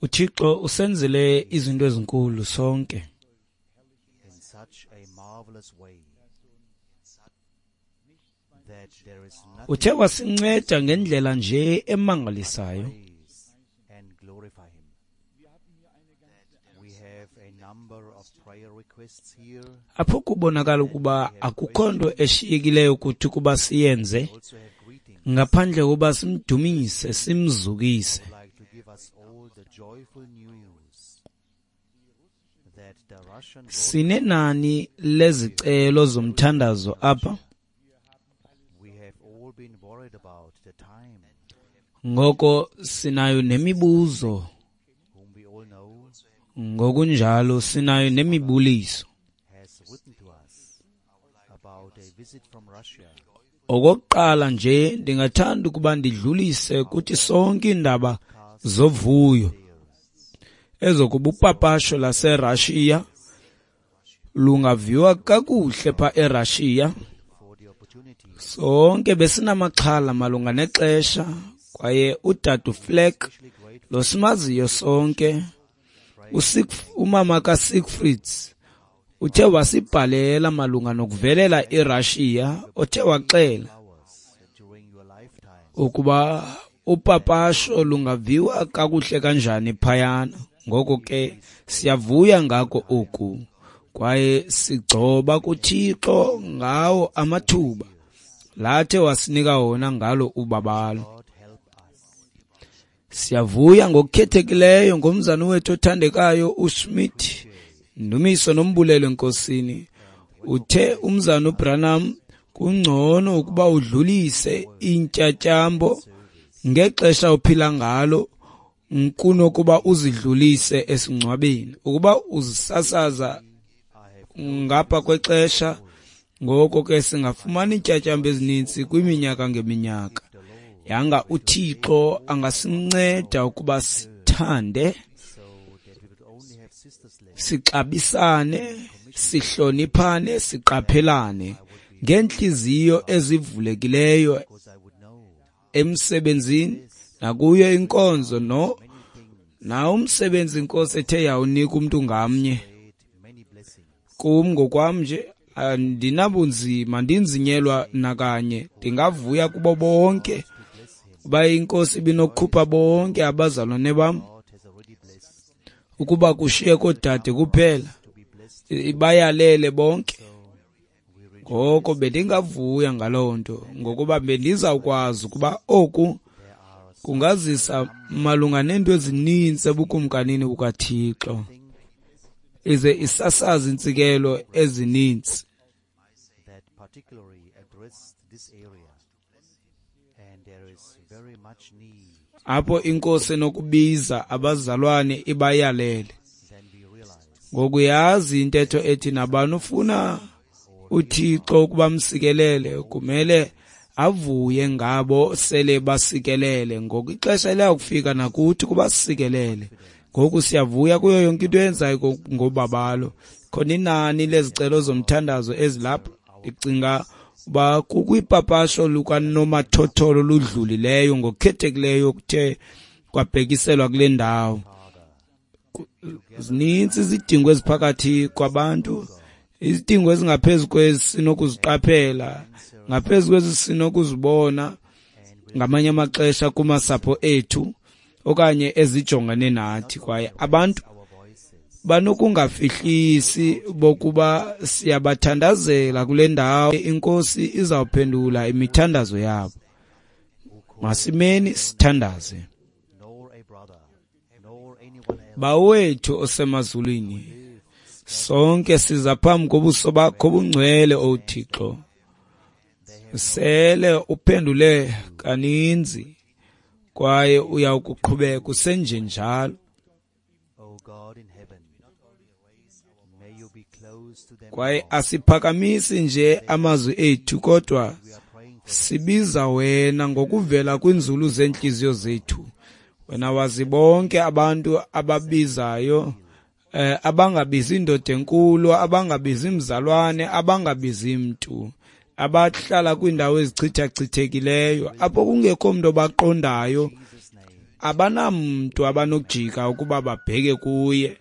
UThixo usenzele izinto ezinkulu sonke. Uthe wasinceda ngendlela nje emangalisayo. Apho kubonakala ukuba akukho nto eshiyekileyo kuthi ukuba siyenze ngaphandle kokuba simdumise, simzukise. Sinenani lezicelo zomthandazo apha. Ngoko sinayo nemibuzo, ngokunjalo sinayo nemibuliso. Okokuqala nje ndingathanda ukuba ndidlulise kuthi sonke iindaba zovuyo ezokuba upapasho laseRashiya lungaviwa kakuhle pha eRashiya. Sonke besinamaxhala malunga nexesha kwaye udade Fleck lo simaziyo sonke, umama kaSiegfried uthe wasibhalela malunga nokuvelela iRashiya, othe waxela ukuba upapasho lungaviwa kakuhle kanjani phayana. Ngoko ke siyavuya ngako oku kwaye sigcoba kuThixo ngawo amathuba lathe wasinika wona ngalo ubabalo. Siyavuya ngokukhethekileyo ngomzana wethu othandekayo uSmith. Ndumiso nombulelo enkosini. Uthe umzana uBranham kungcono ukuba udlulise intyatyambo ngexesha ophila ngalo kunokuba uzidlulise esingcwabeni. Ukuba uzisasaza ngapha kwexesha, ngoko ke singafumana iintyatyambo ezininzi kwiminyaka ngeminyaka. Yanga uThixo angasinceda ukuba sithande, sixabisane, sihloniphane, siqaphelane ngeentliziyo ezivulekileyo emsebenzini nakuyo inkonzo nawo umsebenzi inkosi ethe yawunika umntu ngamnye. Kum ngokwam nje andinabunzima, ndinzinyelwa nakanye. Ndingavuya kubo bonke uba inkosi ibinokukhupha bonke abazalwane bam ukuba kushiye koodade kuphela, ibayalele bonke. Ngoko bendingavuya ngaloo nto, ngokuba bendizawukwazi ukuba oku kungazisa malunga neento ezininzi ebukumkanini bukaThixo, ize isasaze iintsikelo ezininzi. Apho inkosi enokubiza abazalwane ibayalele. Ngokuyazi intetho ethi nabani ufuna uThixo ukuba msikelele kumele avuye ngabo sele basikelele. Ngoku ixesha liyakufika nakuthi kuba sikelele. Ngoku siyavuya kuyo yonke into eyenzayo ngobabalo. Khona inani lezicelo zomthandazo ezilapha, ndicinga uba kukwipapasho lukanomathotholo oludlulileyo ngokukhethekileyo kuthe kwabhekiselwa kule ndawo. Zininzi izidingo eziphakathi kwabantu, izidingo ezingaphezu kwezi sinokuziqaphela, ngaphezu kwezi sinokuzibona ngamanye amaxesha kumasapho ethu okanye ezijongene nathi. Kwaye abantu banokungafihlisi bokuba siyabathandazela kule ndawo, inkosi izawuphendula imithandazo yabo. Masimeni sithandaze. Bawethu osemazulwini, sonke siza phambi kobuso bakho obungcwele, O Thixo. Sele uphendule kaninzi kwaye uyawukuqhubeka usenjenjalo. Kwaye asiphakamisi nje amazwi ethu, kodwa sibiza wena ngokuvela kwinzulu zeentliziyo zethu. Wena wazi bonke abantu ababizayo, abangabizi indoda enkulu, abangabizi mzalwane, abangabizi mntu. Abahlala kwiindawo ezichithachithekileyo apho kungekho mntu obaqondayo, abanamntu abanokujika ukuba babheke kuye.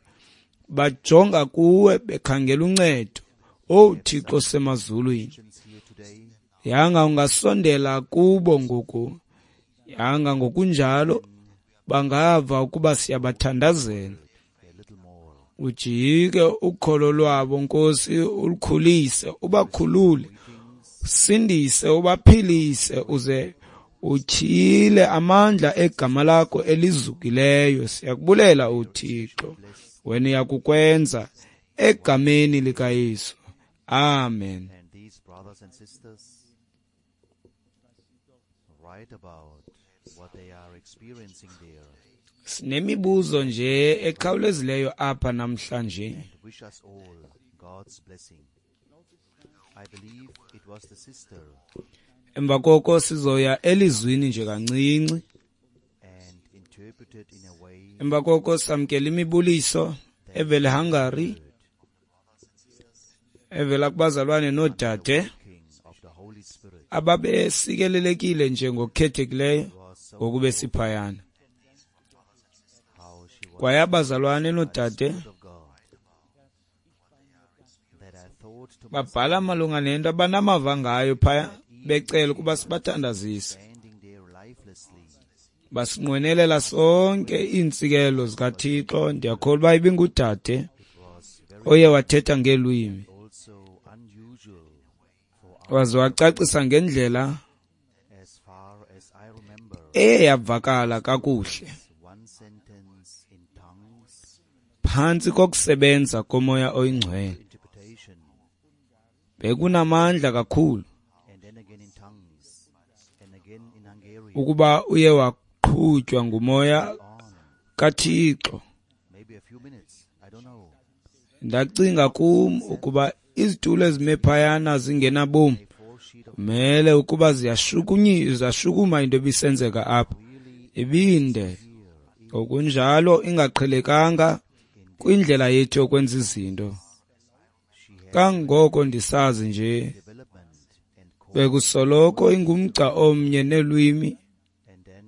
Bajonga kuwe bekhangela uncedo. Owu Thixo osemazulwini, yanga ungasondela kubo ngoku, yanga ngokunjalo bangava ukuba siyabathandazela. Ujike ukholo lwabo, Nkosi, ulukhulise, ubakhulule, usindise, ubaphilise, uze utyhile amandla egama lakho elizukileyo. Siyakubulela uThixo, wena uyakukwenza egameni likaYesu. Amen. And these brothers and sisters write about what they are experiencing there Sinemibuzo nje ekhawulezileyo apha namhlanje. and wish us all God's blessing. I believe it was the sister Emva koko sizoya elizwini nje kancinci. and interpreted in a way Emva koko samkela imibuliso evela eHungary, evela kubazalwane noodade King of the Holy Spirit ababesikelelekile nje ngokukhethekileyo was so ngokube siphayana. how she was Kwaye abazalwane noodade of God that I thought to myself babhala malunga nento abanamava ngayo phaya, becela ukuba sibathandazise. standing there lifelessly Basinqwenelela sonke iintsikelo zikaThixo. Ndiyakholwa uba ibingudade it was very oye wathetha ngeelwimi also unusual for waze wacacisa ngendlela as far as I remember eye yavakala kakuhle one sentence in tongues phantsi kokusebenza komoya oyingcwele. interpretation Bekunamandla kakhulu and then again in tongues and again in Hungarian ukuba uye waqhutywa ngumoya on kaThixo. maybe a few minutes I don't know Ndacinga kum ukuba izitulo ezime phayana zingenabomi a four sheet of kumele ukuba ziyashukuma into ebisenzeka apha. Ibinde ngokunjalo ingaqhelekanga kwindlela yethu yokwenza izinto. she had Kangoko ndisazi nje development and code bekusoloko ingumgca omnye nelwimi, and then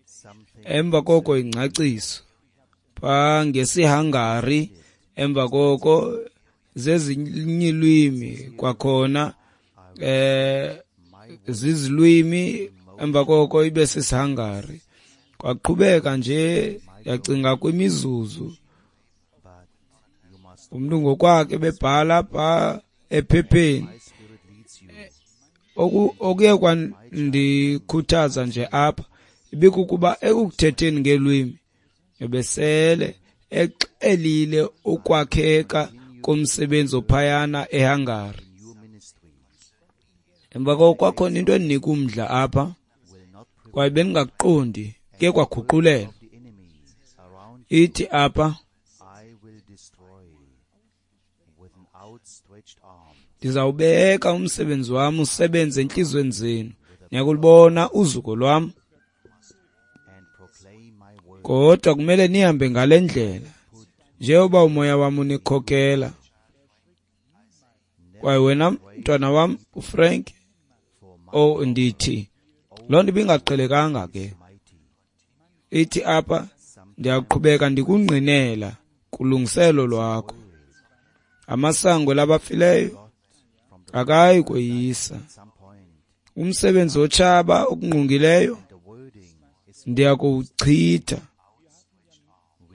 something emva koko ingcaciso pha ngesiHungary, emva koko zezinye iilwimi kwakhona, my zizilwimi, emva koko ibe sisiHungary. Kwaqhubeka nje, yacinga kwimizuzu but you must umntu ngokwakhe bebhala pha ephepheni. my spirit leads you Okuye kwandikhuthaza nje apha ibikukuba ekuthetheni ngeelwimi ebesele exelile ukwakheka komsebenzi ophayana eHungary. in your ministry Emva koko kwakhona into endinika umdla apha will not prevail kwaye bendingakuqondi, kuye kwaguqulelwa. of the enemy around you Ithi apha, I will destroy with an outstretched arm ndizawubeka umsebenzi wam usebenze entliziyweni zenu, niyakulubona uzuko lwam, and proclaim my word kodwa kumele nihambe ngale ndlela njengoba umoya wam unikhokela. Kwaye wena mntwana wam uFrank, for my oh ndithi loo nto ibingaqhelekanga ke. mighty Ithi apha, ndiyaqhubeka ndikungqinela kulungiselo lwakho. Amasango labafileyo got from the akayi koyisa. at some point Umsebenzi wotshaba okungqongileyo and the wording is ndiyakuwuchitha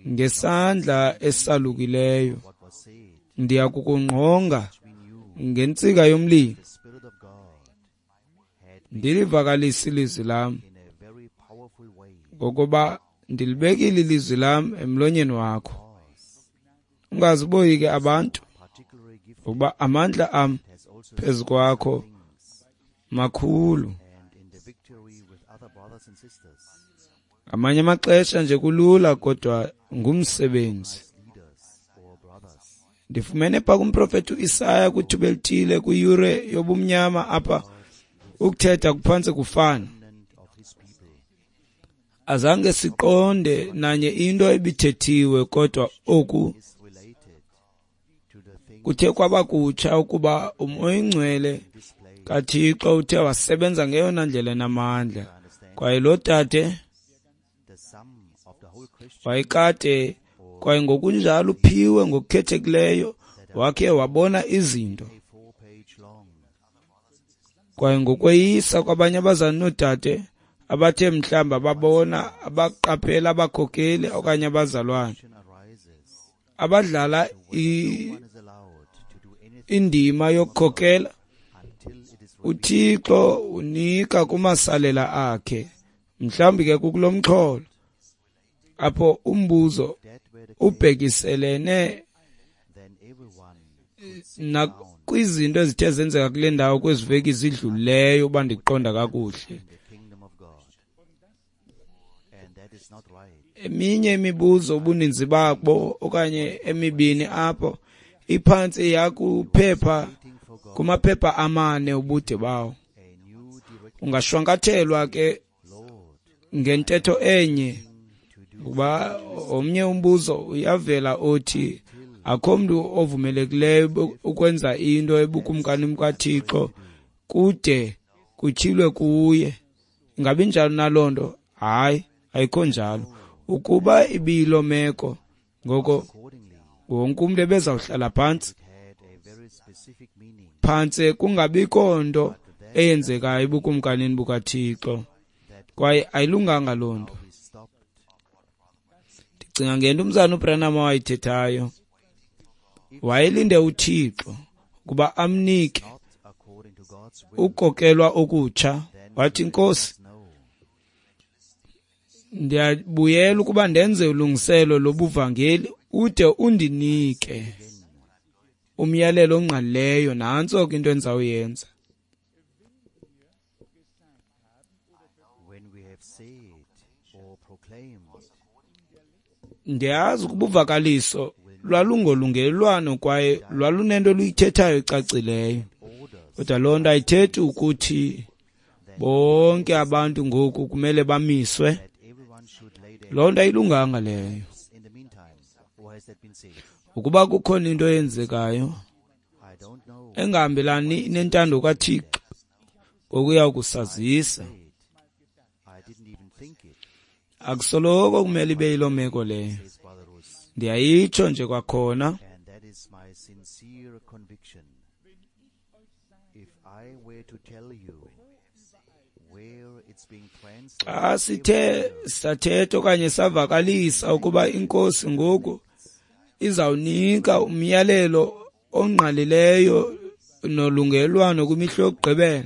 ngesandla esalukileyo. what was said Ndiyakukungqonga we knew ngentsika yomlilo, the spirit of God had ndilivakalise ilizwi lam, in a very powerful way ngokuba ndilibekile ilizwi lam emlonyeni wakho. was Ungaziboyiki abantu, particularly gift ngokuba amandla am has also phezu kwakho things makhulu. and in the victory with other brothers and sisters Ngamanye amaxesha nje kulula, kodwa ngumsebenzi. leaders or brothers Ndifumene pha kumprofethi uIsaya kwithuba elithile kwiyure yobumnyama apha ukuthetha kuphantse kufana. remnant of his people Azange siqonde nanye into ebithethiwe, kodwa oku is related to the things kuthe kwaba kutsha ukuba uMoya oyingcwele displayed kaThixo uthe wasebenza ngeyona ndlela enamandla. Kwaye lo dade wayekade kwaye ngokunjalo uphiwe ngokukhethekileyo, wakhe wabona izinto. Kwaye ngokweyisa kwabanye abazali noodade abathe mhlawumbi ababona, abaqaphela abakhokeli okanye abazalwane abadlala indima yokukhokela, uThixo unika kumasalela akhe. Mhlawumbi ke kukulo mxholo apho umbuzo ubhekiselene nakwizinto ezithe zenzeka kule ndawo kwezi veki zidlulileyo, uba ndiqonda kakuhle. Eminye imibuzo ubuninzi babo okanye emibini apho iphantsi yakuphepha kumaphepha 4 ubude bawo. Ungashwankathelwa ke ngentetho enye, kuba omnye umbuzo uyavela othi akho mntu ovumelekileyo ukwenza into ebukumkani bukaThixo kude kutyhilwe kuye. Ingabi njalo naloo nto? Hayi, ayikho njalo. Ukuba ibiyiloo meko, ngoko wonke umntu ebezawuhlala phantsi phantse kungabikho nto eyenzekayo ebukumkanini bukaThixo, kwaye ayilunganga loo nto. Ndicinga ngento umzana uBranham awayithethayo. Wayelinde uThixo ukuba amnike ukokelwa okutsha. Wathi, Nkosi, ndiyabuyela ukuba ndenze ulungiselo lobuvangeli ude undinike umyalelo ongqalileyo. Nantso ke into endizawuyenza. Ndiyazi ukuba uvakaliso lwalungolungelelwano kwaye lwalunento oluyithethayo ecacileyo, kodwa loo nto ayithethi ukuthi bonke abantu ngoku kumele bamiswe. Loo nto ayilunganga leyo. Ukuba kukhona into eyenzekayo engahambelani nentando kaThixo, ngokuya kusazisa. Akusoloko kumele ibe yiloo meko leyo. Ndiyayitsho nje kwakhona. Xa sithe sathetha okanye savakalisa ukuba iNkosi ngoku izawunika umyalelo ongqalileyo nolungelwano kwimihla yokugqibela,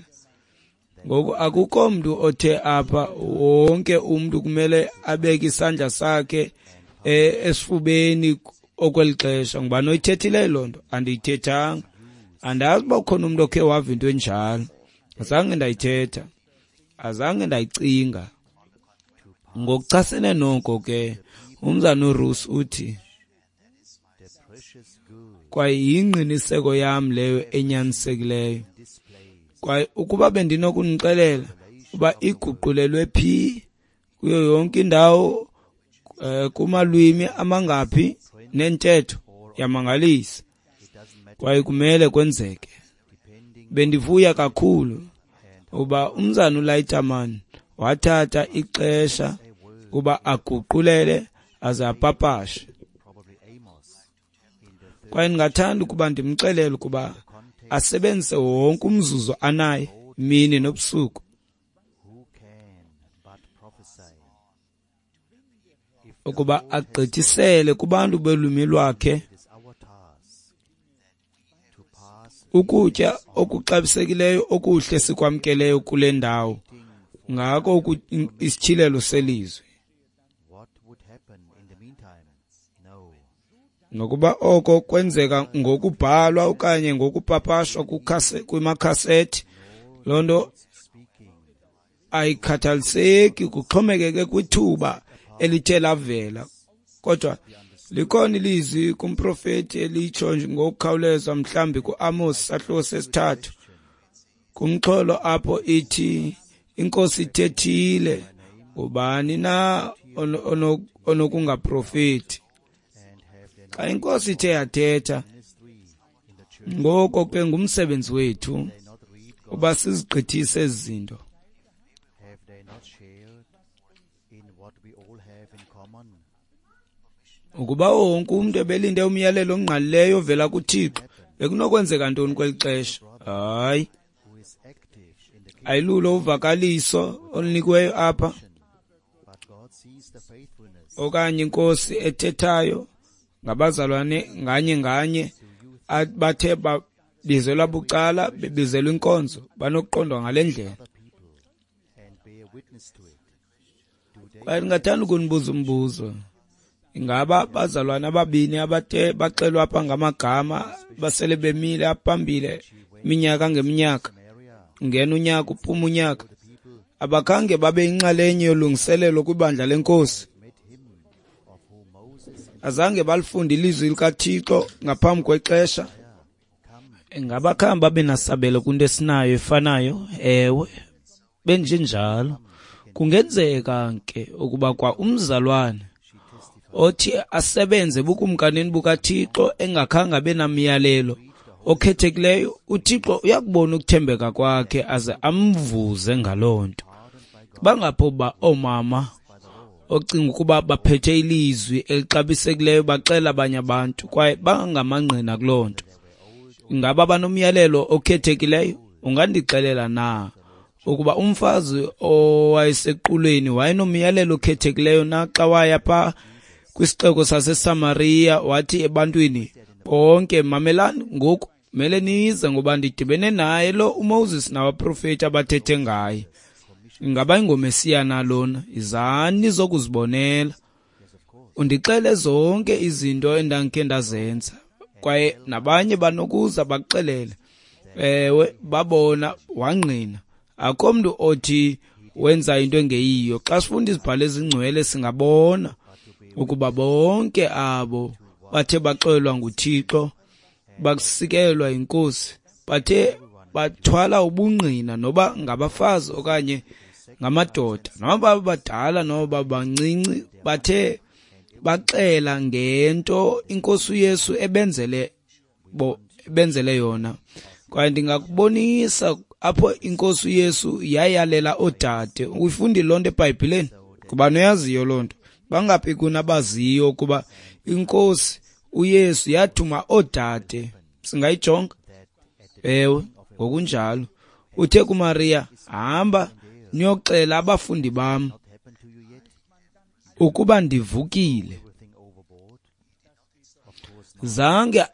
ngoku akukho mntu othe apha wonke umntu kumele abeke isandla sakhe esifubeni okweli xesha. Ngubani oyithethileyo loo nto? Andiyithethanga. Andazi uba ukhona umntu okhe wava into enjalo. Azange ndayithetha, azange ndayicinga. Ngokuchasene noko ke, umzana uRuss uthi, kwaye yingqiniseko yam leyo enyanisekileyo. Kwaye ukuba bendinokunixelela uba iguqulelwe phi kuyo yonke indawo, kumalwimi amangaphi nentetho, yamangalisa. Kwaye kumele kwenzeke. Bendivuya kakhulu uba umzana uLeiterman wathatha ixesha kuba aguqulele aze apapashe. Kwaye ndingathanda ukuba ndimxelele ukuba asebenzise wonke umzuzu anaye mini nobusuku ukuba agqithisele kubantu belwimi lwakhe ukutya okuxabisekileyo okuhle sikwamkeleyo kule ndawo, ngako isityhilelo selizwi. Nokuba oko kwenzeka ngokubhalwa okanye ngokupapashwa kwimakhasethi, loo nto ayikhathaliseki, kuxhomekeke kwithuba elithe lavela. Kodwa likhona ilizwi kumprofeti elitsho ngokukhawuleza, mhlawumbi kuAmos sahluko sesithathu, kumxholo apho ithi iNkosi ithethile, ngubani na onokungaprofeti? Xa iNkosi ithe yathetha, ngoko ke ngumsebenzi wethu uba sizigqithise ezi zinto. Have they not shared in what we all have in common? Ukuba wonke umntu ebelinde umyalelo ongqalileyo ovela kuThixo, bekunokwenzeka ntoni kweli xesha? Hayi, Who is active in the kingdom, ayilulo uvakaliso olunikiweyo apha but God sees the faithfulness okanye inkosi ethethayo ngabazalwane nganye nganye bathe babizelwa bucala, bebizelwa inkonzo, banokuqondwa ngale ndlela. other people and bear witness to it. Do they Kwaye ndingathanda ukunibuza umbuzo. Ingaba bazalwane ababini abathe baxelwa apha ngamagama basele bemile apha phambili iminyaka ngeminyaka, Samaria, ungena unyaka uphuma unyaka, the people abakhange babe yinxalenye yolungiselelo kwibandla lenkosi? met him of whom Moses and Azange balifunde ilizwi likaThixo ngaphambi kwexesha? come Ingaba khange babe nasabelo kwinto esinayo efanayo? Ewe, benjenjalo. Kungenzeka ke ukuba kwa umzalwane she testified othi asebenze ebukumkanini bukaThixo engakhange abe namyalelo okhethekileyo, uThixo uyakubona ukuthembeka kwakhe aze amvuze ngaloo nto. pardoned by God Bangapho ba oomama by the Lord. ocinga ukuba baphethe ilizwi elixabisekileyo baxela abanye abantu kwaye bangamangqina kuloo nto. Ingaba banomyalelo okhethekileyo? Ungandixelela na ukuba umfazi owayesequlweni wayenomyalelo okhethekileyo na xa waya phaa kwisixeko saseSamariya wathi ebantwini bonke, mamelani ngoku, mele nize ngoba ndidibene naye lo uMoses nabaprofeti abathethe ngaye. Ingaba ingoMesiya na lona? Izani nizokuzibonela. Undixele zonke izinto endandikhe ndazenza, kwaye nabanye banokuza bakuxelele. Ewe, babona, wangqina. Akho mntu othi wenza into engeyiyo. Xa sifunda izibhalo ezingcwele singabona ukuba bonke abo bathe baxelelwa nguThixo, basikelwa yinkosi, bathe bathwala ubungqina noba ngabafazi okanye ngamadoda, noba badala noba bancinci, bathe baxela ngento inkosi uYesu ebenzele yona. Kwaye ndingakubonisa apho inkosi uYesu yayalela oodade. Uyifundile loo nto eBhayibhileni? Kuba noyaziyo loo nto. Bangaphi kunabaziyo ukuba inkosi uYesu yathuma oodade? Singayijonga? Ewe, ngokunjalo. Uthe kuMariya, hamba niyoxela abafundi bam Not happened to you yet? ukuba ndivukile. Everything overboard? Of course not. Zange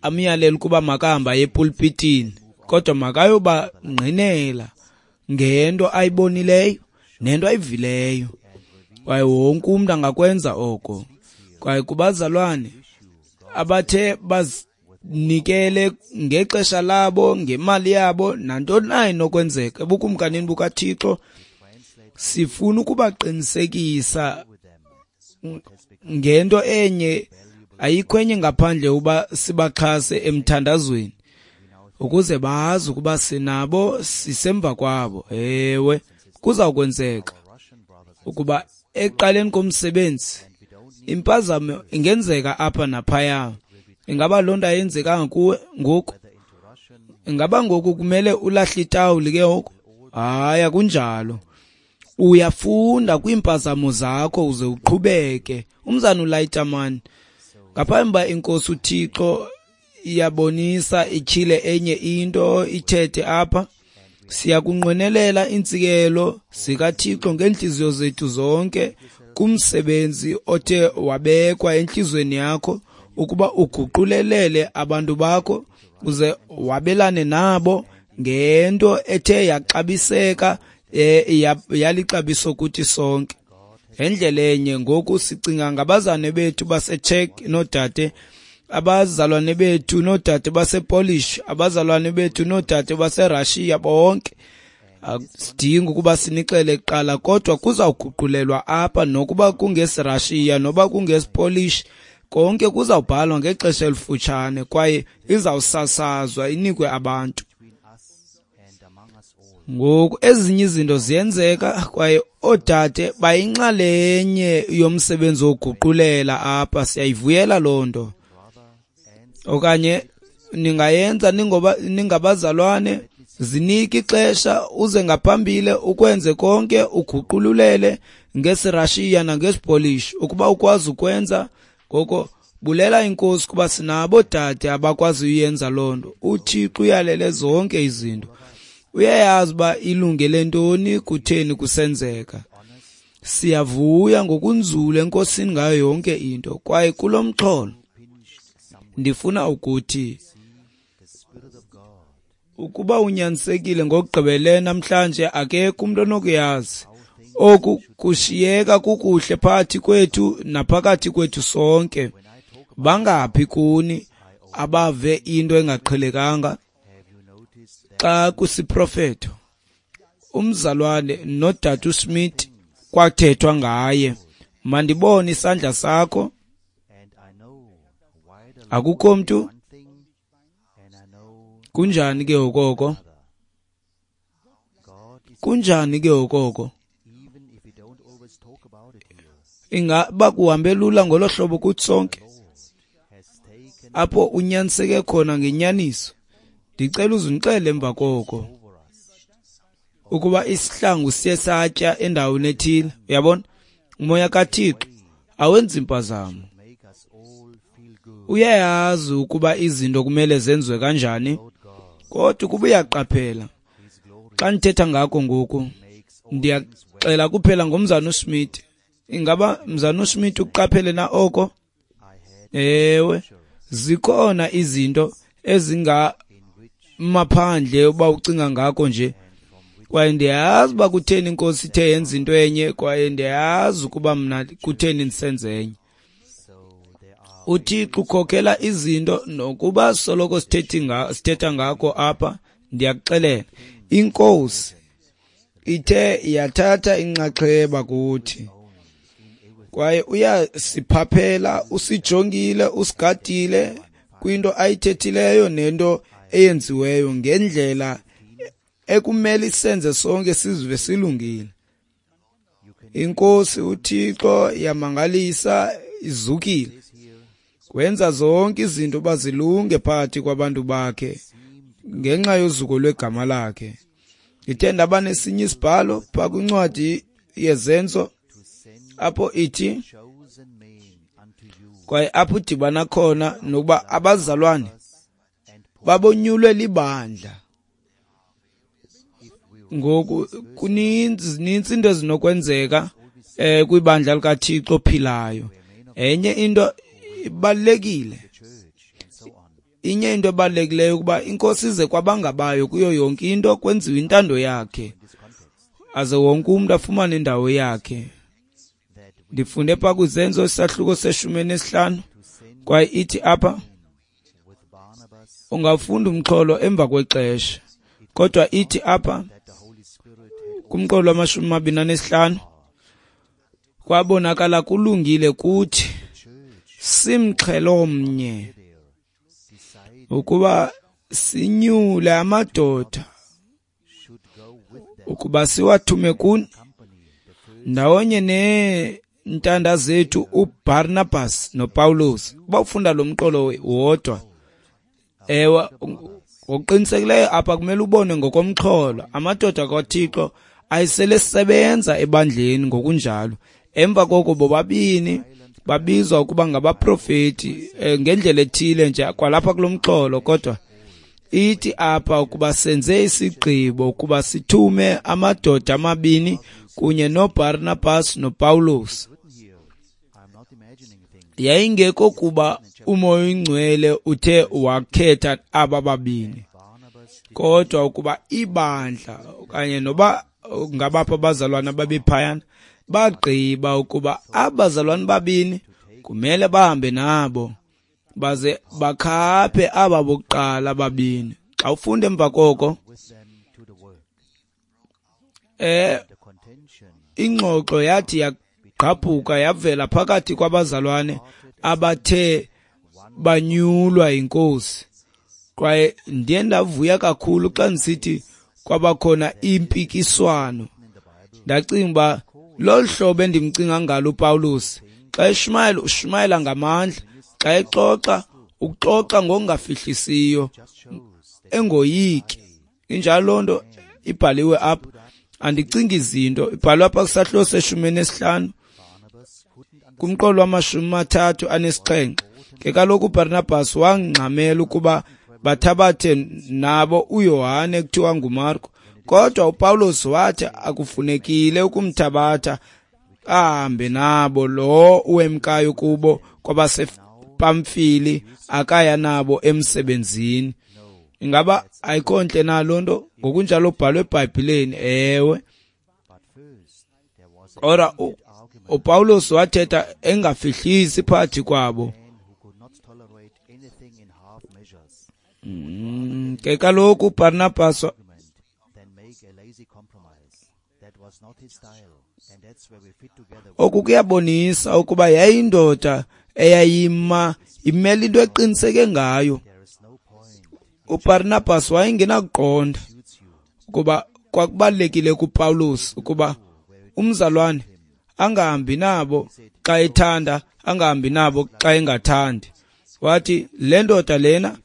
amyalele ukuba makahamba aye epulpitini, kodwa makayobangqinela ngento ayibonileyo nento ayivileyo. Kwaye wonke umntu angakwenza oko. Kwaye kubazalwane abathe bazinikele ngexesha labo, ngemali yabo, nantoni na inokwenzeka ebukumkanini bukaThixo, sifuna ukubaqinisekisa ngento enye, ayikho enye ngaphandle uba sibaxhase emthandazweni ukuze bazi ukuba sinabo, sisemva kwabo. Ewe, kuzawukwenzeka Russian brothers ukuba ekuqaleni komsebenzi impazamo ingenzeka apha naphaya. Ingaba loo nto ayenzekanga kuwe ngoku? whether into Russian Ingaba ngoku kumele ulahle itawuli ke ngoku? Hayi, akunjalo. Uyafunda kwiimpazamo zakho uze uqhubeke. Umzana uLayitaman, ngaphambi uba inkosi uThixo iyabonisa ityhile enye into ithethe apha, siyakunqwenelela iintsikelo zikaThixo ngeentliziyo zethu zonke kumsebenzi othe wabekwa entliziyweni yakho ukuba uguqulelele abantu bakho uze wabelane nabo ngento ethe yaxabiseka, yalixabiso kuthi sonke. Ngendlela enye ngoku sicinga ngabazane bethu baseCzech noodade, abazalwane bethu noodade basePolish, abazalwane bethu noodade baseRussia, bonke. Asidingi ukuba sinixele kuqala, kodwa kuzawuguqulelwa apha, nokuba kungesiRussia noba kungesiPolish, konke kuzawubhalwa ngexesha elifutshane kwaye izawusasazwa inikwe abantu. between us and among us all. Ngoku ezinye izinto ziyenzeka kwaye oodade bayinxalenye yomsebenzi wokuguqulela apha, siyayivuyela loo nto. Brother and Okanye ningayenza ningabazalwane Zinike ixesha uze ngaphambili ukwenze konke, uguqululele ngesiRashiya nangesiPolish ukuba ukwazi ukwenza. Ngoko bulela inkosi kuba sinabo dade abakwazi uyenza loo nto. UThixo uyalele zonke izinto, uyayazi uba ilungele ntoni, kutheni kusenzeka. Siyavuya ngokunzulu enkosini ngayo yonke into. Kwaye kulo mxholo ndifuna ukuthi ukuba unyanisekile ngokugqibelele namhlanje, akekho umuntu onokuyazi. Oku kushiyeka kukuhle phakathi kwethu naphakathi kwethu sonke. Bangaphi kuni abave into engaqhelekanga xa kusiprofeto umzalwane nodade uSmith kwathethwa ngaye? Mandibone isandla sakho. Akukho mntu? Kunjani ke okoko? Kunjani ke okoko? Ingaba kuhambe lula ngolo hlobo kuthi sonke apho unyaniseke khona ngenyaniso? Ndicela uzundixele emva koko ukuba isihlangu siye satya endaweni ethile. Uyabona, umoya kaThixo awenzi impazamo. Uyayazi ukuba izinto kumele zenziwe kanjani, kodwa ukuba uyaqaphela xa ndithetha ngako ngoku, ndiyaxela kuphela ngomzana uSmith. Ingaba mzana uSmith uqaphele na oko? Ewe, zikhona izinto ezingamaphandle uba ucinga ngako nje. Kwaye ndiyazi uba kutheni inkosi ithe yenza into enye, kwaye ndiyazi ukuba mna kutheni ndisenze enye. UThixo ukhokela izinto nokuba soloko sithetha ngako apha. Ndiyakuxelela, inkosi ithe yathatha inxaxheba kuthi, kwaye uyasiphaphela, usijongile, usigadile kwinto ayithethileyo nento eyenziweyo ngendlela ekumele isenze sonke sizive silungile. Inkosi uThixo yamangalisa, izukile, wenza zonke izinto bazilunge phakathi kwabantu bakhe ngenxa yozuko lwegama lakhe. Ndithe ndaba nesinye isibhalo phaa kwincwadi yeZenzo apho ithi, kwaye apho udibana khona nokuba abazalwane babonyulwe libandla. Ngoku kuninzi into ezinokwenzeka kwibandla likaThixo ophilayo. Enye into ibalulekile, inye into ebalulekileyo ukuba inkosi ize kwabangabayo kuyo yonke into, kwenziwe intando yakhe, aze wonke umuntu afumane indawo yakhe. Ndifunde phaa kwiZenzo isahluko se-15, kwaye ithi apha, ungafunda umxholo emva kwexesha, kodwa ithi apha kumqolo wama-25, kwabonakala kulungile kuthi simxhelomnye ukuba sinyule amadoda ukuba siwathume kuni ndawonye neentanda zethu uBarnabas noPawulos. Uba ufunda lo mqolo wodwa, ewe, ngokuqinisekileyo apha kumele ubone ngokomxholo amadoda kaThixo ayisele sebenza ebandleni ngokunjalo. Emva koko bobabini babizwa ukuba ngabaprofeti ngendlela ethile nje kwalapha kulo mxholo, kodwa ithi apha ukuba senze isigqibo ukuba sithume amadoda amabini kunye noBarnabas noPawulos. Yayingekho kuba uMoya oyiNgcwele uthe wakhetha aba babini, kodwa ukuba ibandla okanye noba ngabapha abazalwana babephayana bagqiba ukuba abazalwane babini kumele bahambe nabo baze bakhaphe aba bokuqala babini. Xa ufunda emva koko, ingxoxo yathi yagqabhuka yavela phakathi kwabazalwane abathe banyulwa yinkosi. Kwaye ndiye ndavuya kakhulu xa ndisithi kwabakhona impikiswano. Ndacinga uba lolu hlobo endimcinga ngalo uPawulos, xa eshumayela ushumayela ngamandla, xa exoxa uxoxa ngokungafihlisiyo, engoyiki. Injalo loo nto ibhaliwe apha. Andicingi izinto, ibhalwe apha kwisahluko se-15 kumqolo wama-37. Ke kaloku uBarnabas wangxamela ukuba bathabathe nabo uYohane kuthiwa nguMarko, kodwa uPawulos wathi akufunekile ukumthabatha ahambe nabo lo uwemkayo kubo kwabasePamfili akaya nabo emsebenzini. Ingaba ayikho ntle na loo nto? Ngokunjalo ubhalwe eBhayibhileni. Ewe. Kodwa uPawulos wathetha engafihlisi phakathi kwabo. Ke kaloku uBarnabas oku kuyabonisa ukuba yayindoda eyayima imele into eqiniseke ngayo. uBarnabas wayengenakuqonda ukuba kwakubalulekile kuPawulos ukuba umzalwane angahambi nabo xa ethanda, angahambi nabo xa engathandi. Wathi le ndoda lena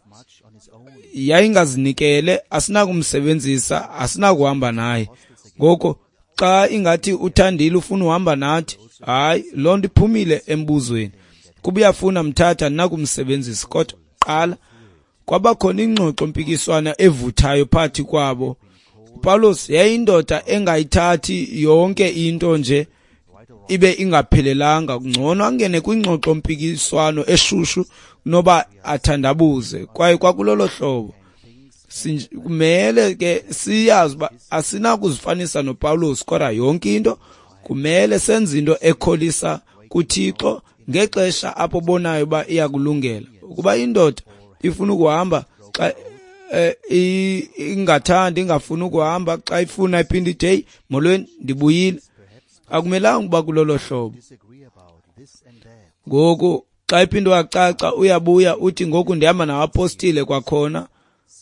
yayingazinikele, asinakumsebenzisa, asinakuhamba naye. Ngoko xa ingathi uthandile ufuna uhamba nathi, hayi, loo nto iphumile embuzweni. Kuba uyafuna mthatha, nakumsebenzisa. Kodwa qala kwabakhona ingxoxo mpikiswana evuthayo phakathi kwabo. uPawulos yayindoda engayithathi yonke into nje ibe ingaphelelanga, ngcono angene kwingxoxo mpikiswano eshushu noba athandabuze. Kwaye kwakulolo hlobo kumele ke siyazi uba asinakuzifanisa noPawulos, kodwa yonke into kumele senze into ekholisa kuThixo ngexesha apho bonayo uba iyakulungela. Ukuba indoda ifuna ukuhamba xa ingathandi, ingafuni ukuhamba, xa ifuna iphinde ithi hey molweni ndibuyile, akumelanga ukuba kulolo hlobo. Ngoku xa iphinde wacaca uyabuya uthi ngoku ndihamba nabapostile kwakhona,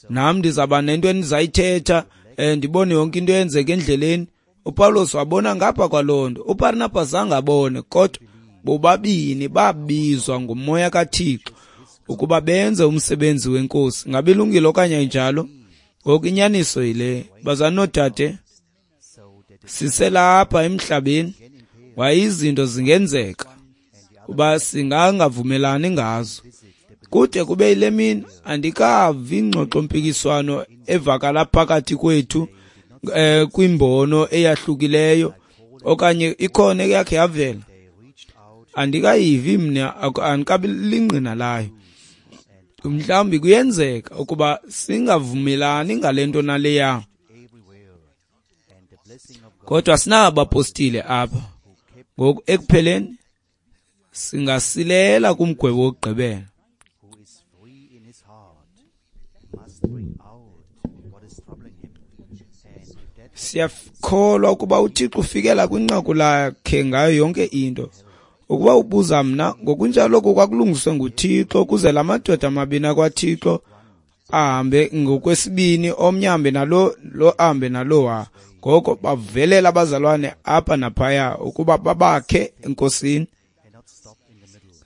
nam ndizaba nento endizayithetha, ndibone yonke into eyenzeka endleleni. uPawulos wabona ngapha kwaloo nto, uBarnabas angabone, kodwa bobabini babizwa ngumoya kaThixo ukuba benze umsebenzi wenkosi. Ngabe ilungile okanye ayinjalo? Ngoku inyaniso yile, bazalwane noodade, siselapha emhlabeni, kwaye izinto zingenzeka uba singangavumelani ngazo. Kude kube yile mini andikavi ingxoxo-mpikiswano evakala phakathi kwethu kwimbono eyahlukileyo okanye ikhona eyakhe yavela. Andikayivi mna, andikabi lingqina layo. Mhlawumbi kuyenzeka ukuba singavumelani ngale nto naleya, kodwa sinabapostile apha. Ngoku ekupheleni singasilela kumgwebo wokugqibela. Siyakholwa ukuba uThixo ufikela kwinqaku lakhe ngayo yonke into. Ukuba ubuza mna, ngokunjalo oku kwakulungiswe nguThixo ukuze la madoda amabini akwaThixo ahambe ngokwesibini, omnye ahambe nalo, lo ahambe nalowa. Ngoko bavelela abazalwane apha naphaya ukuba babakhe enkosini.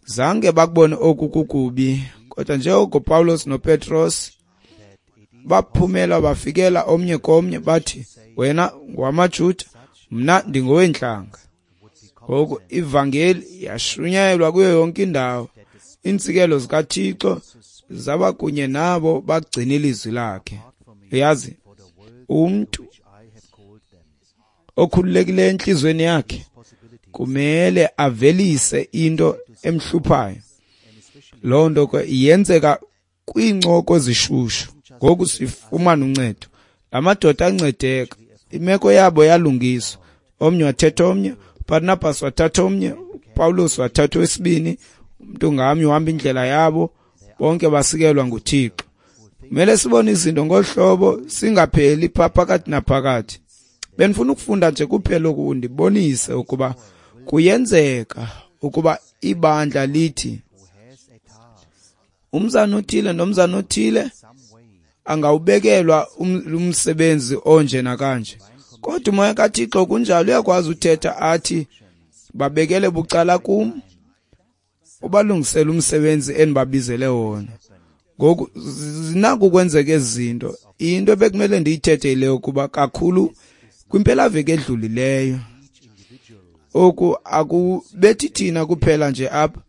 Zange bakubone oku kukubi, kodwa njengoko Pawulos noPetros baphumela bafikela omnye komnye bathi, wena ngowamaJuda, mna ndingoweentlanga. Ngoku ivangeli yashunyayelwa kuyo yonke indawo. Iintsikelo zikaThixo zaba kunye nabo bagcina ilizwi lakhe. Uyazi, umntu okhululekileyo entliziyweni yakhe kumele avelise into emhluphayo. Loo nto ke yenzeka kwiincoko ezishushu. Ngoku sifumana uncedo. La madoda ancedeka, imeko yabo yalungiswa. Omnye wathetha omnye, uBarnabas wathatha omnye, uPawulos wathatha owesibini. Umntu ngamnye uhamba indlela yabo, bonke basikelwa nguThixo. Kumele sibone izinto ngolu hlobo, singapheli pha phakathi naphakathi. Benifuna ukufunda nje kuphela oku ndibonise ukuba kuyenzeka ukuba ibandla lithi umzana othile nomzana othile angawubekelwa umsebenzi onje nakanje, kodwa umoya kaThixo kunjalo uyakwazi uthetha athi babekele bucala kum, ubalungisele umsebenzi endibabizele wona. Ngoku zinako ukwenzeka ezi zinto. Into ebekumele ndiyithethe yile yokuba kakhulu kwimpelaveki edlulileyo, oku akubethi thina kuphela nje apha,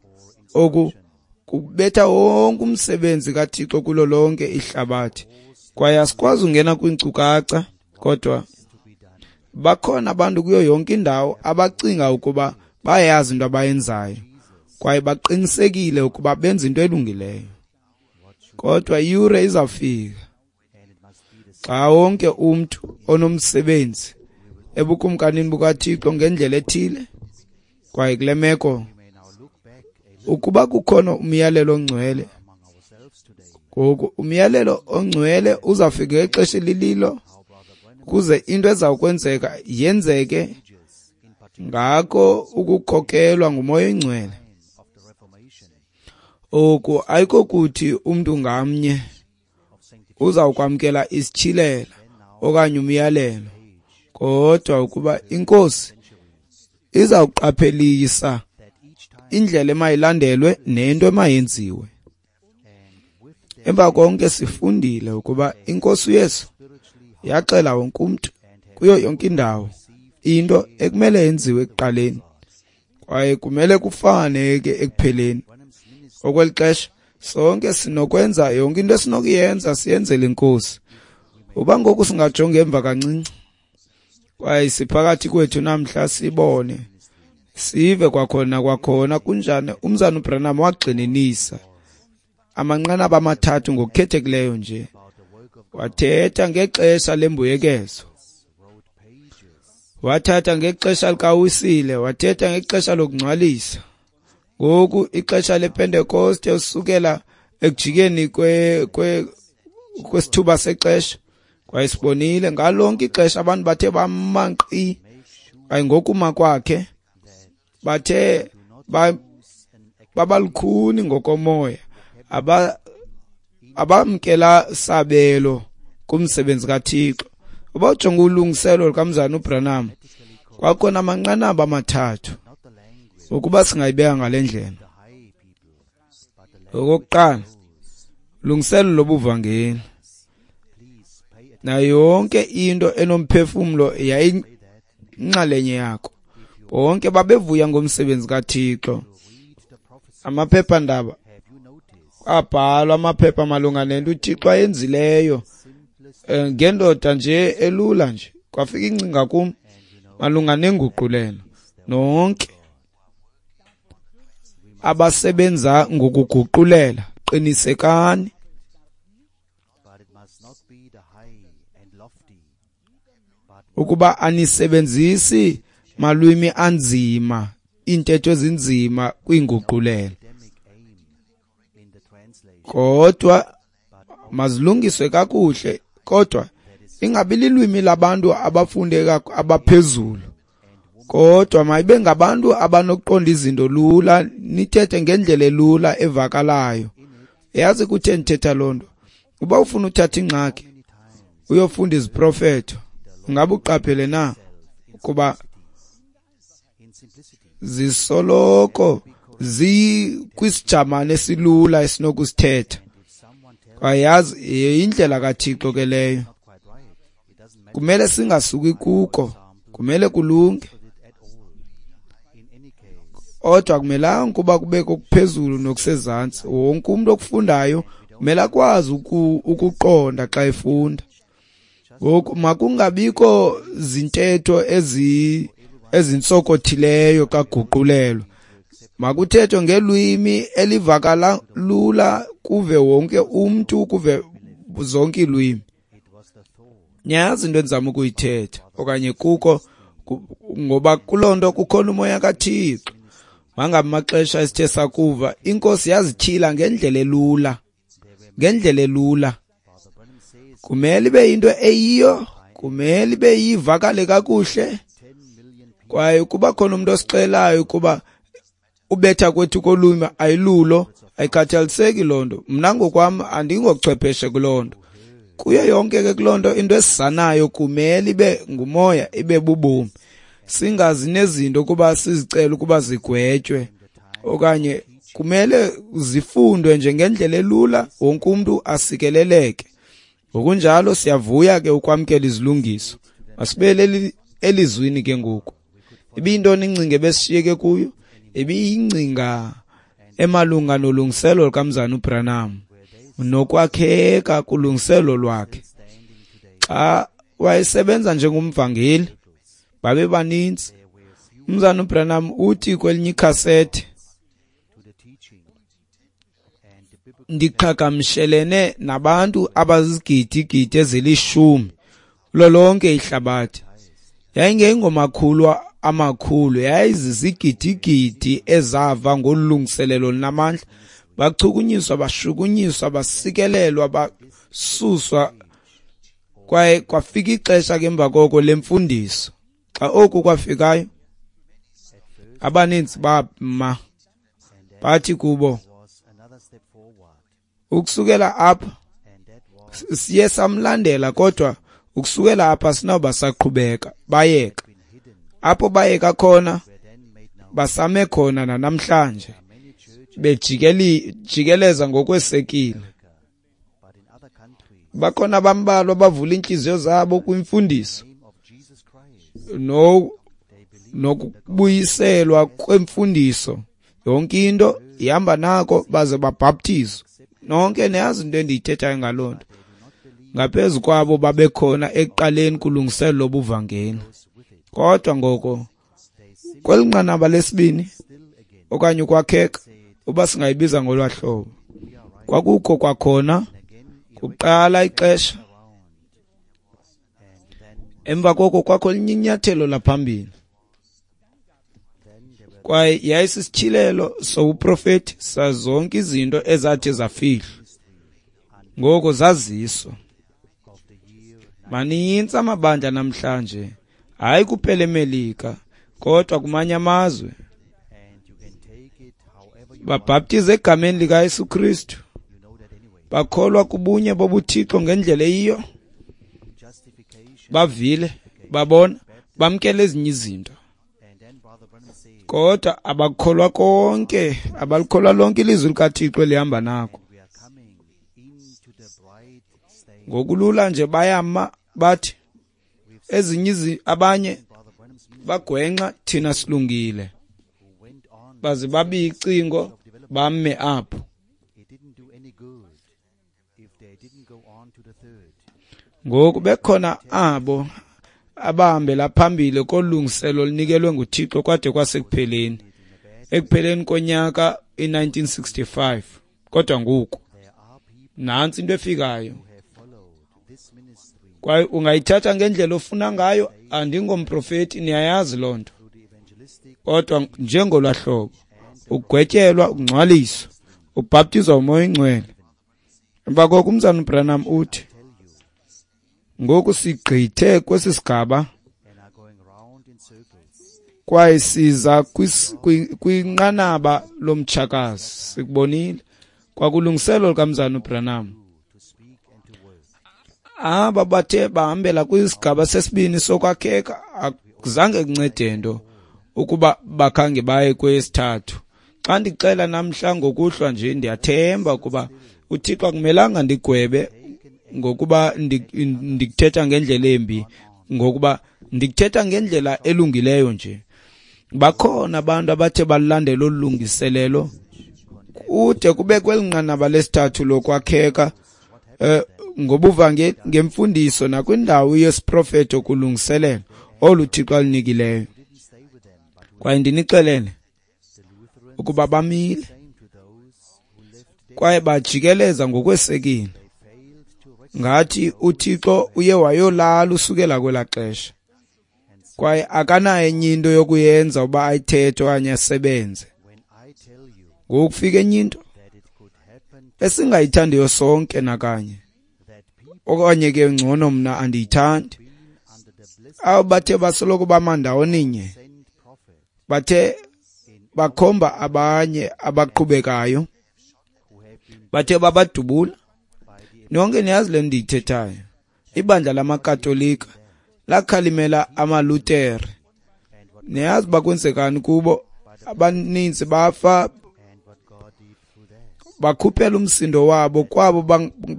oku kubetha wonke umsebenzi kaThixo kulo lonke ihlabathi. Kwaye asikwazi ungena kwiinkcukacha, kodwa bakhona abantu kuyo yonke indawo abacinga ukuba bayayazi into abayenzayo kwaye baqinisekile ukuba benza into elungileyo. Kodwa iyure izawufika xa wonke umntu onomsebenzi ebukumkanini bukaThixo ngendlela ethile, kwaye kule meko ukuba kukhona umyalelo ongcwele, ngoku umyalelo ongcwele uzawufika ngexesha elililo ukuze into ezawukwenzeka yenzeke ngako ukukhokelwa nguMoya oyiNgcwele. Oku ayikokuthi umntu ngamnye uzawukwamkela isityhilelo okanye umyalelo, kodwa ukuba iNkosi izawuqaphelisa indlela emayilandelwe nento emayenziwe. Emva konke sifundile ukuba iNkosi uYesu yaxela wonke umntu kuyo yonke indawo into ekumele yenziwe ekuqaleni, kwaye kumele kufane ke ekupheleni. Okweli xesha sonke sinokwenza yonke into esinokuyenza siyenzele iNkosi. Uba ngoku singajonga emva kancinci kwaye siphakathi kwethu namhla sibone sive kwakhona kunjani umzana uBranham wagxininisa amanqanaba amathathu ngokukhethekileyo nje. Wathetha ngexesha lembuyekezo, wathatha ngexesha likaWisile, wathetha ngexesha lokungcwalisa. Ngoku ixesha lePentekoste usukela ekujikeni kwesithuba sexesha, kwaye sibonile ngalonke ixesha abantu bathe bamanqi, kwaye ngokuma kwakhe bathe babalukhuni ngokomoya, abamkela sabelo kumsebenzi kaThixo. Uba ujonga ulungiselo lukamzana uBranham, kwakhona amanqanaba amathathu ukuba singayibeka ngale ndlela. Okokuqala, lungiselo lobuvangeli. Nayo yonke into enomphefumlo yayinxalenye yakho. Bonke babevuya ngomsebenzi kaThixo. Amaphephandaba abhalwa amaphepha malunga nento uThixo ayenzileyo ngendoda nje elula nje. Kwafika ingcinga kum malunga nenguqulelo. Nonke abasebenza ngokuguqulela, qinisekani ukuba anisebenzisi malwimi anzima, iintetho ezinzima kwinguqulelo, kodwa mazilungiswe kakuhle, kodwa ingabi lilwimi labantu abafunde abaphezulu, kodwa mayibe ngabantu abanokuqonda izinto lula, nithethe ngendlela elula evakalayo. Yazi kutheni ndithetha loo nto? Uba ufuna uthatha ingxaki uyofunda iziprofeto, ungabe uqaphele na ukuba zisoloko zikwisijamane esilula esinokusithetha. Kwaye yindlela kaThixo ke leyo. Kumele singasuki kuko, kumele kulunge. Kodwa akumelanga ukuba kubekho okuphezulu nokusezantsi. Wonke umuntu okufundayo kumele akwazi ukuqonda xa efunda. Ngoku makungabikho zintetho ezintsokothileyo xa kuguqulelwa. Makuthethwe ngelwimi elivakala lula, kuve wonke umntu, kuve zonke iilwimi. Niyazi into endizama ukuyithetha okanye kuko, ngoba kuloo nto kukhona umoya kaThixo. Mangabi maxesha esithe sakuva, iNkosi yazityhila ngendlela elula, ngendlela elula. Kumele ibe yinto eyiyo, kumele ibe yivakale kakuhle. Kwaye ukuba khona umuntu osixelayo ukuba ubetha kwethu kolwimi ayilulo, ayikhathaliseki loo nto. Mna ngokwam andingochwepheshe kuloo nto. Kuyo yonke ke kuloo nto, into esizanayo kumele ibe ngumoya, ibe bubomi. Singazi nezinto ukuba sizicele ukuba zigwetywe okanye Kumele zifundwe nje ngendlela elula, wonke umntu asikeleleke. Ngokunjalo siyavuya ke ukwamkela izilungiso. Masibuyele elizwini ke ngoku. Ibiyintoni ingcinga ebesishiyeke kuyo? Ibiyingcinga emalunga nolungiselelo lukaMzana uBranham nokwakheka kulungiselelo lwakhe. Xa wayesebenza njengomvangeli, babebaninzi. Umzana uBranham uthi kwelinye ikhasethi, ndiqhagamshelene nabantu abazizigidi-gidi ezilishumi kulo lonke ihlabathi. Yayingeyingomakhulu amakhulu, yayizizigidi-gidi ezava ngolungiselelo lunamandla. Bachukunyiswa, bashukunyiswa, basikelelwa, basuswa. Kwaye kwafika ixesha ke emva koko lemfundiso. Xa oku kwafikayo, abaninzi bama bathi kubo, ukusukela apha siye samlandela, kodwa ukusukela apha sinawuba saqhubeka. Bayeka apho bayeka khona, basame khona nanamhlanje, bejikeleza ngokwesekile. Bakhona bambalwa abavula iintliziyo zabo kwimfundiso nokubuyiselwa kwemfundiso. Yonke into ihamba nako, baze babhaptizwe. Nonke niyazi into endiyithethayo ngaloo nto. Ngaphezu kwabo babekhona ekuqaleni kulungiselelo lobuvangeli. Kodwa ngoko kweli nqanaba lesibini okanye ukwakheka, uba singayibiza ngolwa hlobo, kwakukho kwakhona kuqala ixesha. Emva koko kwakho elinye inyathelo laphambili, kwaye yayisisityhilelo sobuprofeti sazonke izinto ezathi zafihlwa, ngoko zaziswa. Manintsi amabandla namhlanje, hayi kuphela eMelika, kodwa kumanye amazwe, babhaptiza egameni likaYesu Kristu, bakholwa kubunye bobuThixo ngendlela eyiyo, bavile, babona, bamkela ezinye izinto, kodwa abakholwa konke, abalikholwa lonke ilizwi likaThixo elihamba nako. Ngokulula nje bayama bathi ezinye abanye bagwenxa, thina silungile, baze babiye icingo bame apho. Ngoku bekhona abo abahambela phambili kolungiselo olunikelwe nguThixo kwade kwasekupheleni, ekupheleni konyaka i-1965. Kodwa ngoku nantsi into efikayo, kwaye ungayithatha ngendlela ofuna ngayo. Andingomprofeti, niyayazi loo nto, kodwa njengolwahlobo ugwetyelwa, ukungcwaliswa, ubhaptizwa uMoya oyiNgcwele. Emva koko umzana uBranham uthi, ngoku sigqithe kwesi sigaba kwaye siza kwinqanaba lomtshakazi. Sikubonile kwakulungiselo lukamzana uBranham. Aba bathe bahambela kwisigaba sesibini sokwakheka, akuzange kuncede nto ukuba bakhange baye kwesithathu. Xa ndixela namhla ngokuhlwa nje, ndiyathemba ukuba uThixo akumelanga ndigwebe ngokuba ndikuthetha ngendlela embi, ngokuba ndikuthetha ngendlela elungileyo nje. Bakhona abantu abathe balandela olu lungiselelo kude kube kweli nqanaba lesithathu lokwakheka ngobuvangeli, ngemfundiso nakwindawo yesiprofeto kulungiselelo olu Thixo alunikileyo. Kwaye ndinixelele ukuba bamile kwaye bajikeleza ngokwesekile, ngathi uThixo uye wayolala usukela kwelaa xesha, kwaye akanayo enye into yokuyenza uba ayithethe okanye asebenze. Ngoku kufika enye into esingayithandiyo sonke nakanye, okanye ke ngcono mna andiyithandi. Abo bathe basoloko bama ndawoninye, bathe bakhomba abanye abaqhubekayo, bathe babadubula. Nonke niyazi le ndiyithethayo. Ibandla lamaKatolika lakhalimela amaLutere. Niyazi uba kwenzekani kubo? Abaninzi bafa, Bakhuphela umsindo wabo kwabo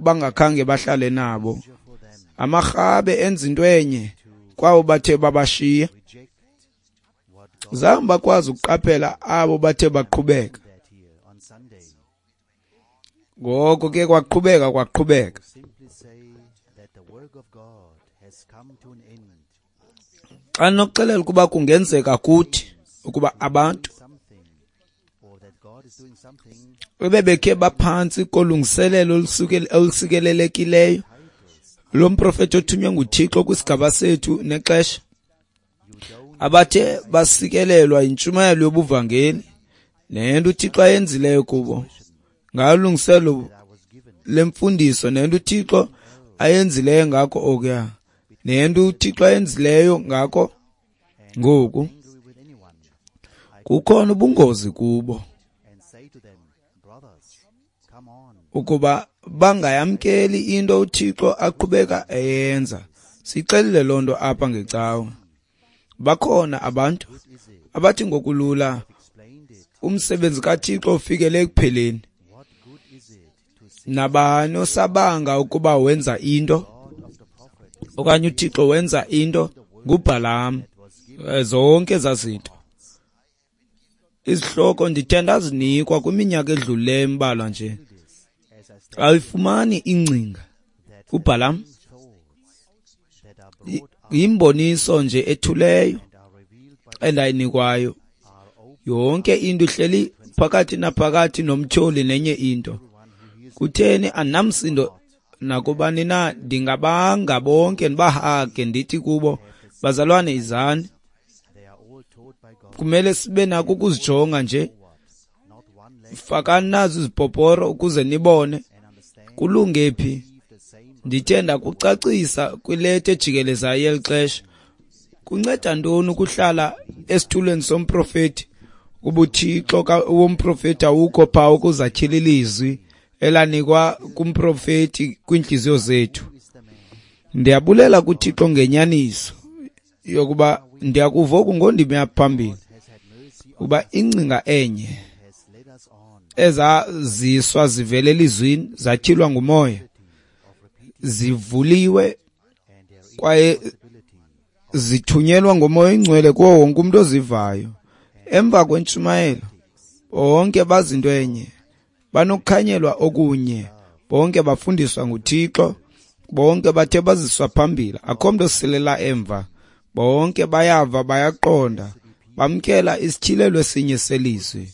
bangakhange bahlale nabo. Amarhabe enza into enye kwabo bathe babashiya. Zange bakwazi ukuqaphela abo bathe baqhubeka. Ngoko ke kwaqhubeka. Xa ndinokuxelela ukuba kungenzeka kuthi ukuba abantu ebebekhe baphantsi kolungiselelo olusikelelekileyo lomprofethi othunywe nguThixo kwisigaba sethu nexesha, abathe basikelelwa yintshumayelo yobuvangeli nento uThixo ayenzileyo kubo ngalungiselo lemfundiso nento uThixo ayenzileyo ngakho okuya nento uThixo ayenzileyo ngakho ngoku, kukhona ubungozi kubo ukuba bangayamkeli into uThixo aqhubeka eyenza. Sixelile loo nto apha ngecawa. Bakhona abantu abathi ngokulula umsebenzi kaThixo ufikele ekupheleni. Nabani osabanga ukuba wenza into okanye uThixo wenza into nguBhalamu. Zonke ezaa zinto. Izihloko ndithe ndazinikwa kwiminyaka edlulileyo embalwa nje. Awuyifumani ingcinga. UBhalamu yimboniso nje ethuleyo endayinikwayo. Yonke into ihleli phakathi naphakathi nomtyholi nenye into. Kutheni andinamsindo nakubani na, ndingabanga bonke ndibahage ndithi kubo, bazalwane izani. Kumele sibe nako ukuzijonga nje. Fakani nazo izipoporo ukuze nibone kulunge phi. Ndithe ndakucacisa kwileta ejikelezayo yeli xesha. Kunceda ntoni ukuhlala esitulweni somprofethi kuba uThixo womprofethi awukho phaa ukuzatyhila ilizwi elanikwa kumprofethi kwiintliziyo zethu. Ndiyabulela kuThixo ngenyaniso yokuba ndiyakuva oku ngondimi yaphambili, ukuba ingcinga enye ezaziswa zivele elizwini zatyhilwa ngumoya zivuliwe kwaye zithunyelwa ngomoya oyingcwele kuwo wonke umuntu ozivayo. Emva kwentshumayelo bonke bazinto enye, banokukhanyelwa okunye, bonke bafundiswa nguThixo, bonke bathe baziswa phambili, akho mntu osilela emva. Bonke bayava, bayaqonda, bamkela isityhilelo esinye selizwi.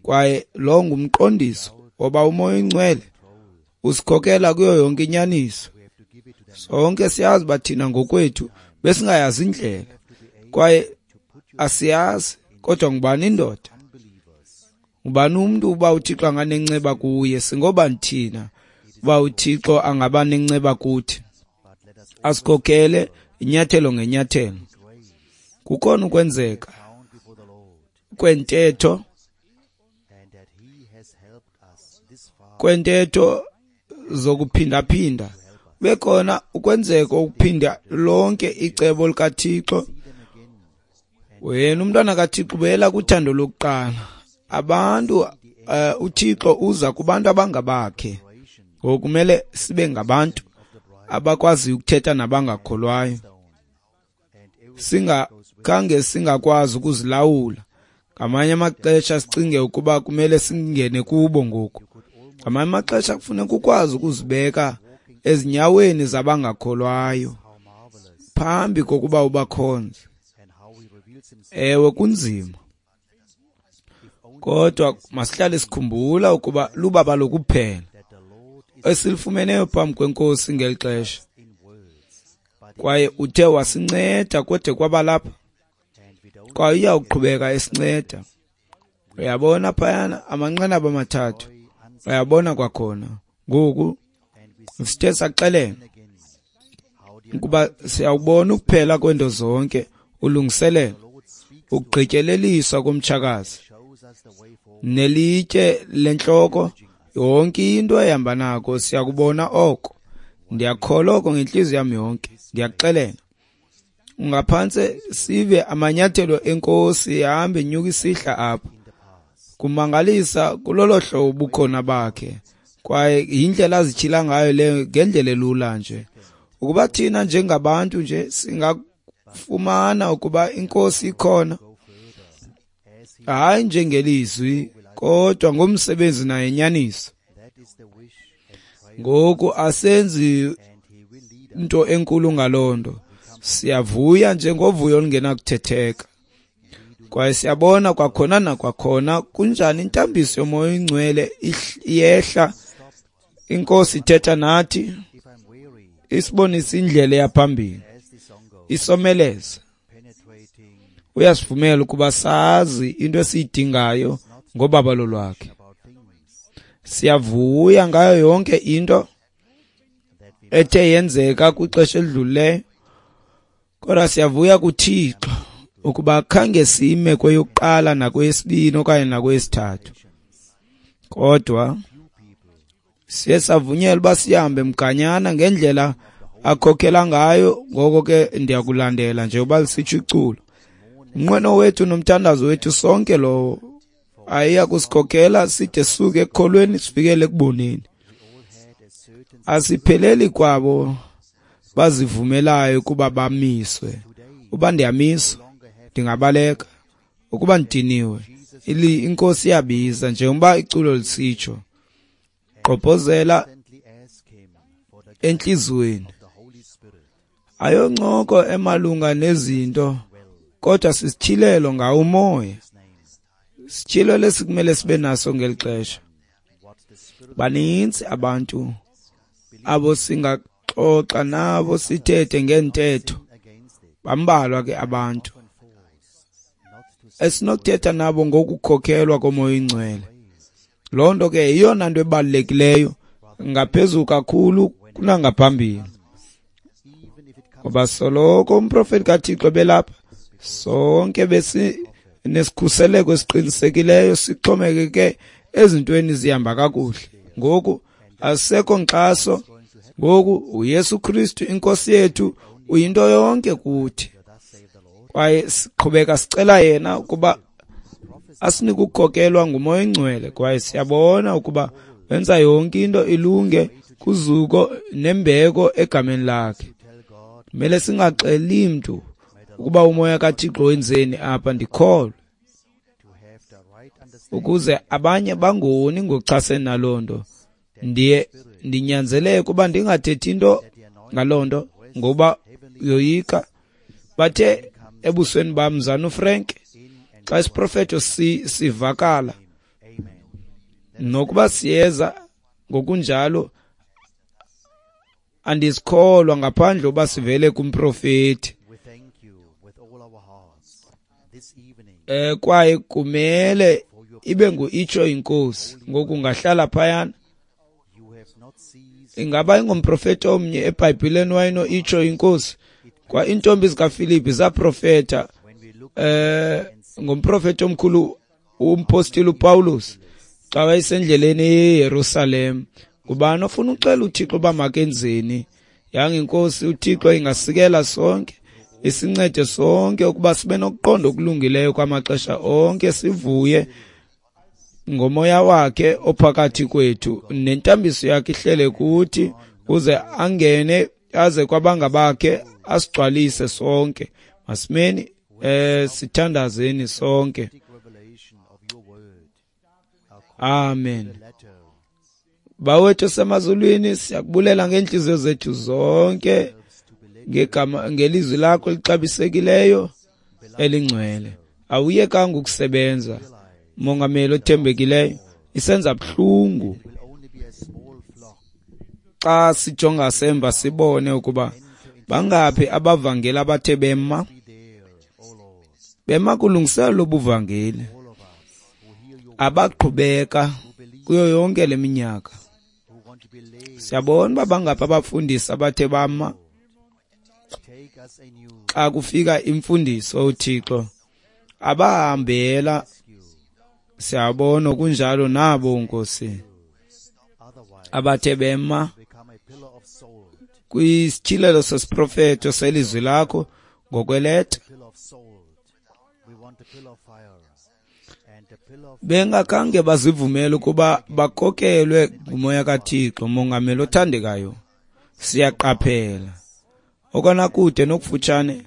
Kwaye lo ngumqondiso woba umoya oyingcwele usikhokela kuyo yonke inyaniso. Sonke siyazi uba thina ngokwethu besingayazi indlela kwaye asiyazi, kodwa ngubani indoda? Ngubani umntu uba uThixo anganenceba kuye? Singobani thina uba uThixo angaba nenceba kuthi? Asikhokele inyathelo ngenyathelo. Kukhona ukwenzeka kwentetho zokuphindaphinda, bekhona ukwenzeka ukuphinda lonke icebo likaThixo. Wena umntwana kaThixo ubuyela kuthando lokuqala. Abantu uThixo uza kubantu abangabakhe. Ngokumele sibe ngabantu abakwaziyo ukuthetha nabangakholwayo. Singakhange singakwazi ukuzilawula. Ngamanye amaxesha sicinge ukuba kumele singene kubo ngoku. Ngamanye amaxesha kufuneka ukwazi ukuzibeka ezinyaweni zabangakholwayo phambi kokuba ubakhonze. Ewe, kunzima, kodwa masihlale sikhumbula ukuba lubabalo kuphela esilifumeneyo phambi kweNkosi ngeli xesha. Kwaye uthe wasinceda kode kwaba lapha, kwaye uyawuqhubeka esinceda. Uyabona phayana amanqanaba amathathu, uyabona kwakhona. Ngoku sithe saxelela ukuba siyawubona ukuphela kwento zonke, ulungiselelo, ukugqityeleliswa komtshakazi nelitye lentloko, yonke into ehamba nako siyakubona oko. Ndiyakholwa oko ngentliziyo yam yonke. Ndiyakuxelela, ungaphantse sive amanyathelo enkosi ihambe inyuka isihla apha. Kumangalisa kulolo hlobo ubukhona bakhe, kwaye yindlela azityhila ngayo leyo ngendlela elula nje. Ukuba thina njengabantu nje singafumana ukuba iNkosi ikhona, hayi njengelizwi kodwa ngomsebenzi naye nyaniso. Ngoku asenzi into enkulu ngaloo nto, siyavuya njengovuyo olungenakuthetheka. Kwaye siyabona kwakhona nakwakhona kunjani intambiso yoMoya oyiNgcwele iyehla, iNkosi ithetha nathi, isibonisa indlela eyaphambili, isomeleza. Uyasivumela ukuba sazi into esiyidingayo ngobabalo lwakhe. Siyavuya ngayo yonke into ethe yenzeka kwixesha elidlulileyo, kodwa siyavuya kuThixo ukuba khange sime kweyokuqala nakweyesibini okanye nakweyesithathu, kodwa siye savunyelwa uba sihambe mganyana ngendlela akhokhela ngayo. Ngoko ke ndiyakulandela njengoba lisitsho iculo. Umnqweno wethu nomthandazo wethu sonke lowo ayiya kusikhokhela side sisuke ekukholweni sifikele ekuboneni. Asipheleli kwabo bazivumelayo ukuba bamiswe. Uba ndiyamiswa ndingabaleka, ukuba ndidiniwe iNkosi iyabiza njengoba iculo lisitsho. Gqobhozela entliziyweni. Ayoncoko emalunga nezinto, kodwa sisityhilelo ngawo umoya. Sityhilelo esikumele sibe naso ngeli xesha. Baninzi abantu abo singaxoxa nabo sithethe ngeentetho. Bambalwa ke abantu esinokuthetha nabo ngokukhokhelwa koMoya oyiNgcwele. Loo nto ke yeyona nto ebalulekileyo ngaphezulu kakhulu kunangaphambili. Ngoba soloko umprofeti kaThixo belapha, sonke besinesikhuseleko esiqinisekileyo sixhomekeke ezintweni zihamba kakuhle. Ngoku asisekho nkxaso. Ngoku uYesu Kristu iNkosi yethu uyinto yonke kuthi, kwaye siqhubeka sicela yena ukuba asinike ukukhokelwa nguMoya oyiNgcwele. Kwaye siyabona ukuba wenza yonke into ilunge kuzuko nembeko egameni lakhe. Kumele singaxeli mntu ukuba umoya kaThixo wenzeni apha, ndikholwe, ukuze abanye bangoni ngokuchasene naloo nto. Ndiye ndinyanzeleke ukuba ndingathethi into ngaloo nto ngoba yoyika. Bathe ebusweni bam, mzana uFrank, xa isiprofeto sivakala nokuba siyeza ngokunjalo, andisikholwa ngaphandle uba sivele kumprofeti. Kwaye kumele ibe ngu-itsho iNkosi. Ngoku ungahlala phayana. Ingaba ingumprofeti omnye eBhayibhileni wayeno-itsho iNkosi? Kwa iintombi zikaFilipi zaprofeta ngomprofeti omkhulu umpostile uPawulos xa wayesendleleni eYerusalem. Ngubani ofuna uxela uThixo uba makenzeni? Yanga iNkosi uThixo ingasikela sonke, isincede sonke ukuba sibe nokuqonda okulungileyo kwamaxesha onke, sivuye ngomoya wakhe ophakathi kwethu nentambiso yakhe ihlele kuthi, uze angene aze kwabangabakhe asigcwalise sonke. Masimeni sithandazeni sonke. Amen. Bawethu semazulwini, siyakubulela ngeenhliziyo zethu zonke ngegama ngelizwi lakho elixabisekileyo elingcwele. Awuyekanga ukusebenza, Mongameli othembekileyo. Isenza buhlungu xa sijonga semva sibone ukuba bangaphi abavangeli abathe bema kulungiselelo lobuvangeli, abaqhubeka kuyo yonke le minyaka. Siyabona uba bangaphi abafundisi abathe bama xa kufika imfundiso uThixo, abahambela. Siyabona kunjalo nabo Nkosi abathe bema kwisityhilelo sesiprofeto selizwi lakho ngokweleta. Bengakhange bazivumele ukuba bakhokelwe nguMoya kaThixo. Mongameli othandekayo, siyaqaphela okona kude nokufutshane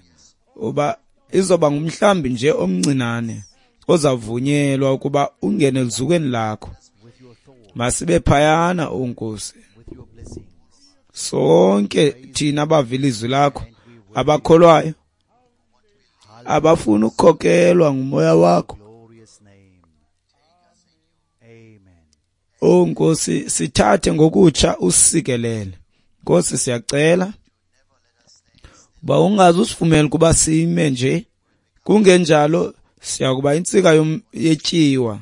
uba izoba ngumhlambi nje omncinane ozavunyelwa ukuba ungene eluzukweni lakho. Masibe phayana, o Nkosi. Sonke thina abava ilizwi lakho, abakholwayo, abafuna ukukhokelwa nguMoya wakho, O Nkosi, sithathe ngokutsha usikelele. Nkosi, siyacela uba ungaze usivumele ukuba sime nje, kungenjalo siyakuba intsika yetyiwa,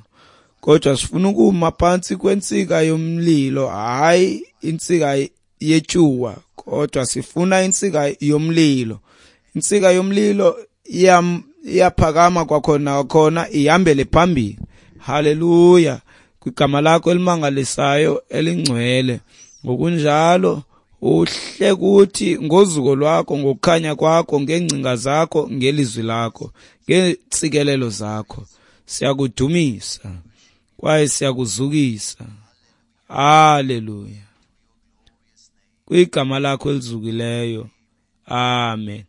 kodwa sifuna ukuma phantsi kwentsika yomlilo, hayi intsika yetyuwa, kodwa sifuna intsika yomlilo. Intsika yomlilo iyaphakama kwakhona khona ihambele phambili. Haleluya, kwigama lakho elimangalisayo elingcwele. Ngokunjalo uhle kuthi ngozuko lwakho, ngokukhanya kwakho, ngeengcinga zakho, ngelizwi lakho, ngeentsikelelo zakho. Siyakudumisa kwaye siyakuzukisa. Haleluya, kwigama lakho elizukileyo. Amen.